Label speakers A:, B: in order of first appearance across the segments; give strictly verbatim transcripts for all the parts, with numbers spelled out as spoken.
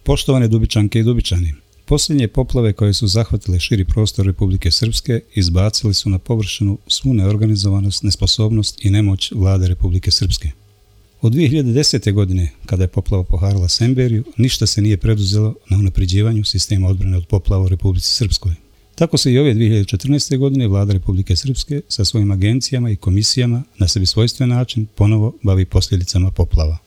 A: Poštovane Dubičanke i Dubičani, posljednje poplave koje su zahvatile širi prostor Republike Srpske izbacili su na površinu svu neorganizovanost, nesposobnost i nemoć vlade Republike Srpske. Od dvije hiljade desete. godine, kada je poplava poharala Semberiju, ništa se nije preduzelo na unapređivanju sistema odbrane od poplava u Republici Srpskoj. Tako se i ove dvije hiljade četrnaeste. godine vlada Republike Srpske sa svojim agencijama i komisijama na sebi svojstven način ponovo bavi posljedicama poplava.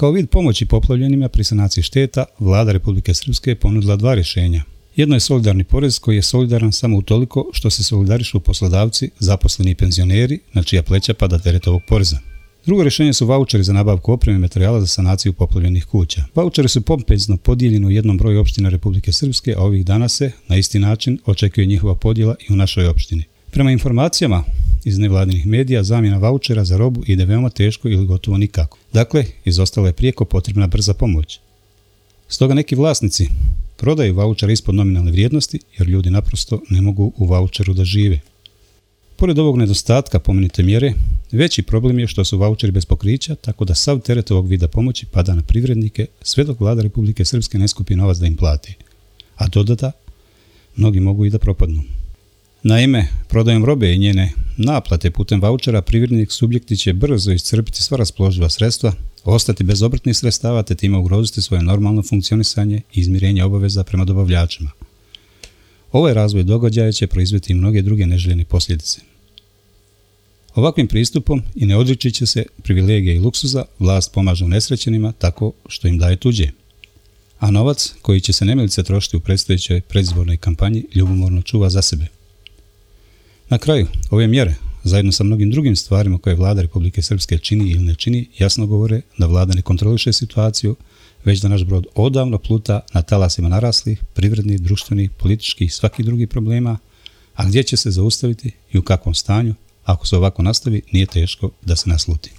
A: Kao vid pomoći poplavljenima pri sanaciji šteta, vlada Republike Srpske je ponudila dva rješenja. Jedno je solidarni porez koji je solidaran samo utoliko što se solidarišu poslodavci, zaposleni i penzioneri, na čija pleća pada teret ovog poreza. Drugo rješenje su vaučeri za nabavku opreme i materijala za sanaciju poplavljenih kuća. Vaučeri su pompezno podijeljeni u jednom broju opština Republike Srpske, a ovih dana se, na isti način, očekuje njihova podjela i u našoj opštini. Prema informacijama iz nevladinih medija, zamjena vaučera za robu ide veoma teško ili gotovo nikako. Dakle, izostala je prijeko potrebna brza pomoć. Stoga neki vlasnici prodaju vaučere ispod nominalne vrijednosti jer ljudi naprosto ne mogu u vaučeru da žive. Pored ovog nedostatka pomenute mjere, veći problem je što su vaučeri bez pokrića, tako da sav teret ovog vida pomoći pada na privrednike sve dok vlada Republike Srpske ne skupi novac da im plati. A dodata, mnogi mogu i da propadnu. Naime, prodajom robe i njene naplate putem vaučera privrednik subjekti će brzo iscrpiti sva raspoloživa sredstva, ostati bez obrtnih sredstava te time ugroziti svoje normalno funkcionisanje i izmirenje obaveza prema dobavljačima. Ovaj razvoj događaja će proizvesti i mnoge druge neželjene posljedice. Ovakvim pristupom i ne odriči će se privilegije i luksuza, vlast pomaže unesrećenima tako što im daje tuđe. A novac koji će se nemilice trošiti u predstojećoj predizbornoj kampanji ljubomorno čuva za sebe. Na kraju, ove mjere, zajedno sa mnogim drugim stvarima koje vlada Republike Srpske čini ili ne čini, jasno govore da vlada ne kontroliše situaciju, već da naš brod odavno pluta na talasima naraslih, privrednih, društvenih, političkih i svakih drugih problema, a gdje će se zaustaviti i u kakvom stanju, ako se ovako nastavi, nije teško da se nasluti.